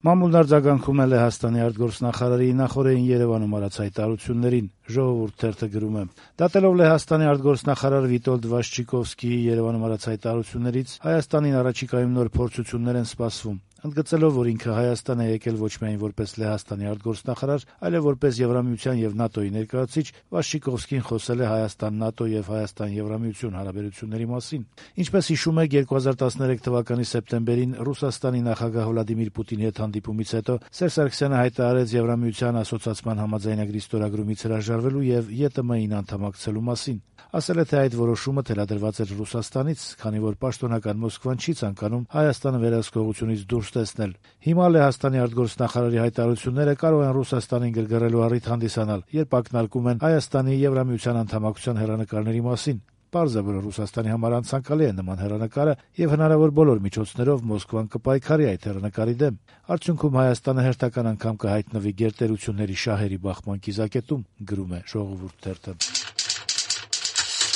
Մամուլն արձագանքում է Լեհաստանի արտգործնախարարի նախօրեին Երևանում արած հայտարարություններին։ Ժողովուրդ թերթը գրում է. դատելով Լեհաստանի արտգործնախարար Վիտոլդ Վաշչիկովսկիի Երևանում արած հայտարարություններից Հայաստանին առաջիկայում նոր փորձություններ են սպասվում։ Ընդգծելով, որ ինքը Հայաստան է եկել ոչ միայն որպես Լեհաստանի արտգործնախարար, այլև որպես Եվրամիության եւ ՆԱՏՕ-ի ներկայացուցիչ, Վաշչիկովսկին խոսել է Հայաստան-ՆԱՏՕ եւ Հայաստան-Եվրամիություն հարաբերությունների մասին։ Ինչպես հիշում եք, 2013 թվականի սեպտեմբերին Ռուսաստանի նախագահ Վլադիմիր Պուտինի հետ հանդիպումից հետո Սերժ Սարգսյանը հայտարարեց Եվրամիության ասոցիացման համաձայնագրի ստորագրումից հրաժարվելու եւ ԵՏՄ-ին անդամակցելու մասին։ Ասել է, թե այդ որոշումը թելադրված էր Ռուսաստանից, քանի որ պաշտոնական Մոսկվան չի ցանկանում Հայաստանը վերահսկողությունից դուրս տեսնել։ Հիմա Լեհաստանի արտգործնախարարի հայտարարությունները կարող են Ռուսաստանին գրգռելու առիթ հանդիսանալ, երբ ակնարկում են Հայաստանի Եվրամիության անդամակցության հեռանկարների մասին։ Պարզ է, որ Ռուսաստանի համար անցանկալի է նման հեռանկարը եւ հնարավոր բոլոր միջոցներով Մոսկվան կպայքարի այդ հեռանկարի դեմ։ Արդյունքում Հայաստանը հերթական անգամ կհայտնվի գերտերությունների շահերի բախման կիզակետում, գրում է Ժողովուրդ թերթը։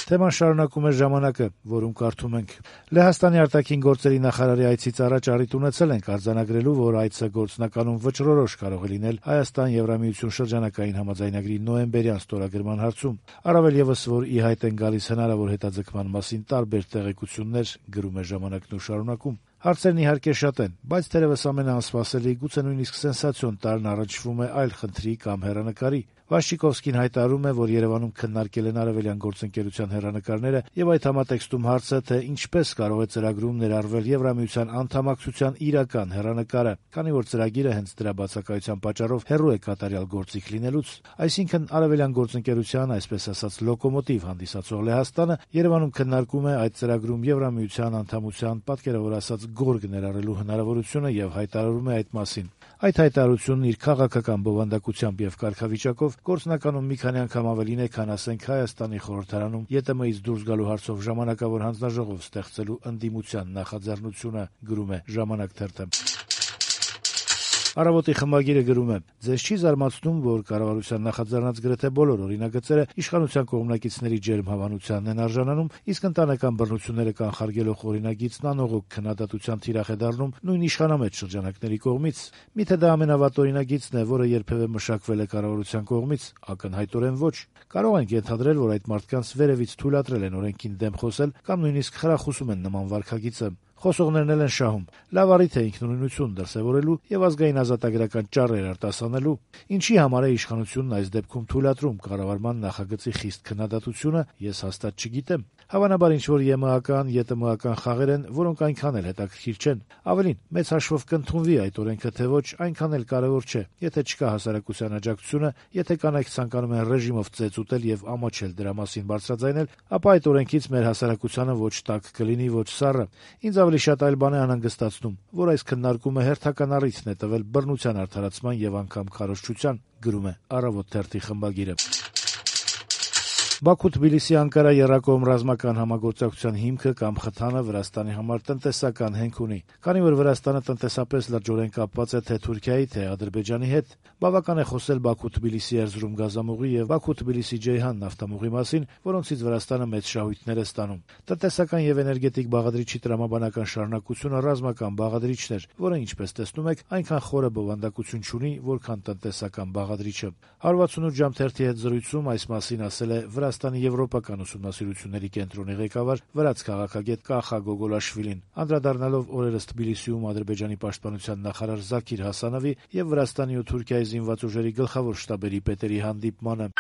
Թեման շարունակում է «Ժամանակ»-ը, որում կարդում ենք. Լեհաստանի արտաքին գործերի նախարարի այցից առաջ առիթ ունեցել ենք արձանագրելու, որ այցը գործնականում վճռորոշ կարող է լինել Հայաստան-Եվրամիություն շրջանակային համաձայնագրի նոյեմբերյան ստորագրման հարցում։ Առավել եւս, որ ի հայտ են գալիս հնարավոր հետաձգման մասին տարբեր տեղեկություններ, գրում է «Ժամանակ»-ն ու շարունակում. Հարցերն իհարկե շատ են, բայց թերևս ամենաանսպասելի, գուցե նույնիսկ սենսացիոն տարրն առնչվում է այլ խնդրի կամ հեռանկարի։ Վաշչիկովսկին հայտարարում է, որ Երևանում քննարկել են արևելյան գործընկերության հեռանկարները եւ այդ համատեքստում հարցը, թե ինչպես կարող է ծրագրում ներառվել Եվրամիության անդամակցության իրական հեռանկարը, քանի որ ծրագիրը հենց դրա բացակայության պատճառով հեռու է կատարյալ գործիք լինելուց։ Այսինքն արևելյան գործընկերության, այսպես ասած, լոկոմոտիվ հանդիսացող Լեհաստանը Երևանում քննարկում է այդ ծրագրում Եվրամիության անդամության, պատկերավոր ասած, գորգ ներառելու հնարավորությունը եւ հայտարարում է այդ մասին։ Այդ հայտարարությունն իր քաղաքական բովանդակությամբ եւ կարգավիճակով գործնականում մի քանի անգամ ավելին է, քան ասենք Հայաստանի խորհրդարանում ԵՏՄ-ից դուրս գալու հարցով ժամանակավոր հանձնաժողով ստեղծելու ընդդիմության նախաձեռնությունը, գրում է «Ժամանակ» թերթը։ Առավոտի խմբագիրը գրում է. ձեզ չի զարմացնում, որ կառավարության նախաձեռնած գրեթե բոլոր օրինագծերը իշխանության կողմնակիցների ջերմ հավանությանն են արժանանում, իսկ ընտանեկան բռնությունները կանխարգելող օրինագիծն անողոք քննադատության թիրախ է դառնում նույն իշխանամետ շրջանակների կողմից։ Միթե դա ամենավատ օրինագիծն է, որը երբևէ մշակվել է կառավարության կողմից, ակնհայտորեն ոչ։ Կարող ենք ենթադրել, որ այդ մարդկանց վերևից թույլատրել են օրենքին դեմ խոսել կամ նույնիսկ խրախուսում են նման վարքագիծը։ Խոսողներն էլ են շահում։ Լավ առիթ է ինքնուրույնություն դրսևորելու եւ ազգային ազատագրական ճառեր արտասանելու։ Ինչի համար է իշխանությունն այս դեպքում թույլատրում կառավարման նախագծի խիստ քննադատությունը, ես հաստատ չգիտեմ։ Հավանաբար ինչ-որ ԵՄԱ-ական, ԵՏՄ-ական խաղեր են, որոնք այնքան էլ հետաքրքիր չեն։ Ավելին, մեծ հաշվով կընդունվի այդ օրենքը, թե ոչ, այնքան էլ կարեւոր չէ։ Եթե չկա հասարակության աջակցությունը, եթե կանայք ցանկանում են ռեժիմով ծեծ ուտել եւ ամաչել դրա մասին բարձրաձայնել, ապա այդ օրենքից մեր հասարակությանը ոչ տաք կլինի, ոչ սառը։ Ինձ ավելի շատ այլ բան է անհանգստացնում, որ այս քննարկումը հերթական առիթն է տվել բռնության արդարացման եւ անգամ քարոզչության, գրում է «Առավոտ» թերթի խմբագիրը։ Բաքու-Թբիլիսի-Անկարա եռակողմ ռազմական համագործակցության հիմքը կամ խթանը Վրաստանի համար տնտեսական հենք ունի։ Քանի որ Վրաստանը տնտեսապես լրջորեն կապված է թե Թուրքիայի, թե Ադրբեջանի հետ, բավական է խոսել Բաքու-Թբիլիսի Էրզրում գազամուղի եւ Բաքու-Թբիլիսի-Ջեյհան նավթամուղի մասին, որոնցից Վրաստանը մեծ շահույթներ է ստանում։ Տնտեսական եւ էներգետիկ բաղադրիչի տրամաբանական շարունակությունը ռազմական բաղադրիչն էր, որը, ինչպես տեսնում եք, այնքան խորը բովանդակություն չունի, որքան տնտեսական բաղադրիչը։ 168 ժամ թերթի հետ զրույցում այս մասին ասել է Վրաստանի եվրոպական ուսումնասիրությունների կենտրոնի ղեկավար վրաց քաղաքագետ Կախա Գոգոլաշվիլին, անդրադառնալով օրերս Թբիլիսիում Ադրբեջանի պաշտպանության նախարար Զաքիր Հասանովի եւ Վրաստանի ու Թուրքիայի զինված ուժերի գլխավոր շտաբերի պետերի հանդիպմանը։